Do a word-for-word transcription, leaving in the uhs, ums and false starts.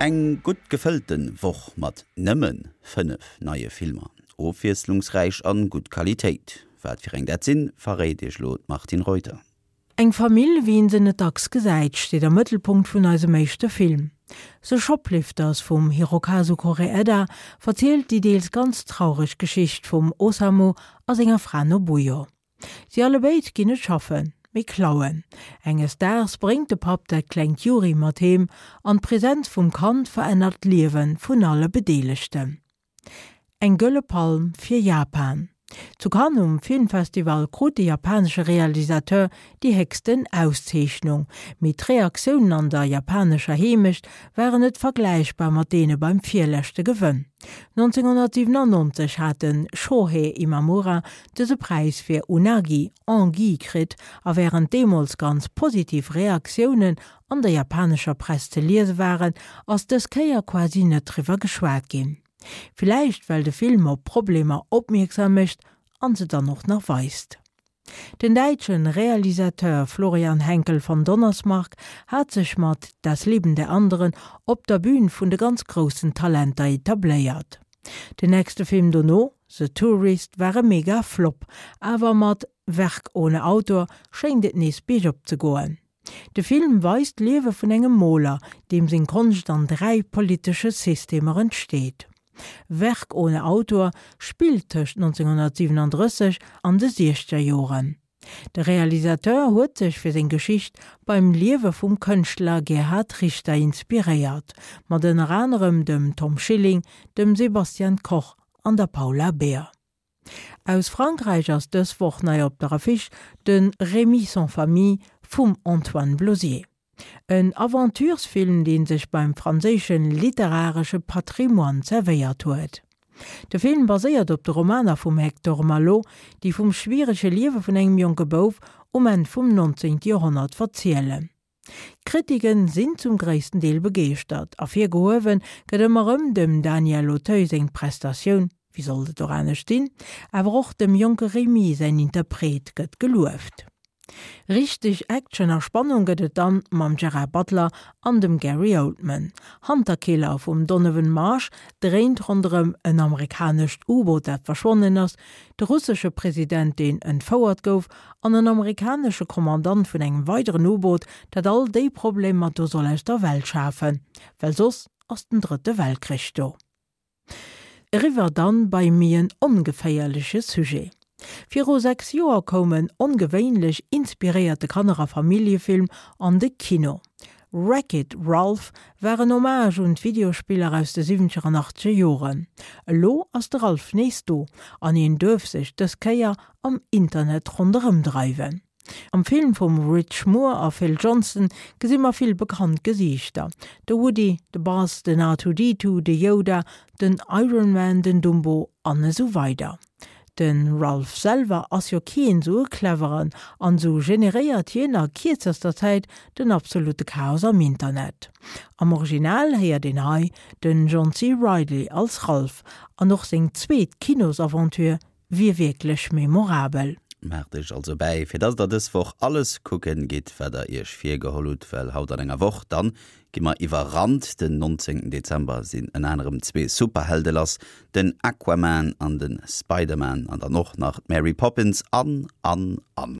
Eng gutt gefëllte Woch mat nëmme fënnef neie Filmer. Ofwiesslungsräich an gutt Qualitéit. Wat fir eng dat sinn, verréit Iech elo d'Martine Reuter. Eng Famill, wéi een se net dacks gesäit, steet am Mëttelpunkt vun eisem éischte Film. The Shoplifters vum Hirokazu Koreeda verzielt déi deels ganz traureg Geschicht vum Osamu a senger Fra Nobuyo. Si allebéid ginn net schaffen, mee klauen. Enges Daags bréngt de Papp dat klengt Yuri mat heem an d'Presenz vum Kand verännert d'Liewe vun alle Bedeelegten. Eng gëlle Palm fir Japan. Zu Cannes um Filmfestival krut de japanesche Realisateur déi héchsten Auszeechnung. Mee d'Reaktiounen an der japanescher Heemecht waren net vergläichbar mat deene beim virleschte Gewënn. nonzénghonnertsiwenannonzeg hat de Shohei Imamura dëse Präis fir Unagi Anguille kritt a wärend deemools ganz positiv Reaktiounen an der japanescher Press ze liese waren, ass dës Kéier quasi net driwwer geschwat ginn. Villäicht well de Film op Problemer opmierksam mécht an se dann och nach weist. Den däitsche Realisateur Florian Henckel von Donnersmarck hat sech mat Das Leben der Anderen op der Bün vun de ganz groussen Talenter etabléiert. Den nächste Film dono, The Tourist, war e mega Flop, awer mat Werk ohne Autor schéngt et nees biergop ze goen. De Film weist d'Liewe vun engem Moler, deem seng Konscht an dräi politesche Systemer entsteet. Werk ohne Autor spillt tëscht nonzénghonnertsiwenandrësseg an de siechzeger Joren. De Realisateur huet sech fir seng Geschicht beim Liewe vum Kënschtler Gerhard Richter inspiréiert, mat ënner anerem dem Tom Schilling, dem Sebastian Koch an der Paula Beer. Aus Frankräich ass dës Woch nei op der Affiche de Rémi sans famille vum Antoine Blozier. En Aventuresfilm, dee sech beim franséische literaresche Patrimoine zerwéiert huet. De Film baséiert op de Romaner vum Hector Malot, déi vum schwierege Liewe vun engem jonke Bouf um Enn vum nonzéngte Joerhonnert verzielen. D'Kritiken sinn zum gréissten Deel begeeschtert, ervirgehuewe gëtt ëmmer erëm dem Daniel Auteuil seng Prestatioun, wéi sollt et och anescht sinn, awer och dem jonke Rémi säin Interpret gëtt gelueft. Richteg Action a Spannung gëtt et dann mam Gerard Butler an dem Gary Oldman. Hunter Killer vum Donovan Marsh dréint ronderëm en amerikanescht U-Boot dat verschwonnen ass, de russesche President deen entfouert gouf an en amerikanesche Kommandant vun engem weideren U-Boot dat all déi Problemer do soll aus der Welt schafen, well soss ass den drëtte Weltkrich do. Eriwwer dann bei méi en ongeféierleche Sujet. Viru sechs Joer koum en ongewéinlech inspiréierte Kanner a Familljefilm an de Kino. Wreck-It Ralph war en Hommage un d'Videospiller aus de siwwenzeger an achtzeger Joren. Elo ass de Ralph nees do an hien duerf sech dës Kéier am Internet ronderëmdreiwen. Am Film vum Rich Moore a Phil Johnson gesi mer vill bekannt Gesiichter, de Woody, de Buzz, den R two D two, de Yoda, den Iron Man, den Dumbo an esou weider. De Ralph selwer ass jo keen esou e Cleveren an esou generéiert hien a kierzester Zäit den absolute Chaos am Internet. Am Original héiert een hei den John C. Reilly als Ralph an och seng zweet Kinosaventure wier wierklech memorabel. Maacht iech also bäi, fir dass der dës Woch alles kucken gitt, wat der iech virgeholl hutt, well haut an enger Woch dann gi mer iwwerrannt. Den nonzéngten Dezember sinn ënner anerem zwee Superhelde lass, den Aquaman an den Spider-Man an dann och nach d'Mary Poppins an, an, an.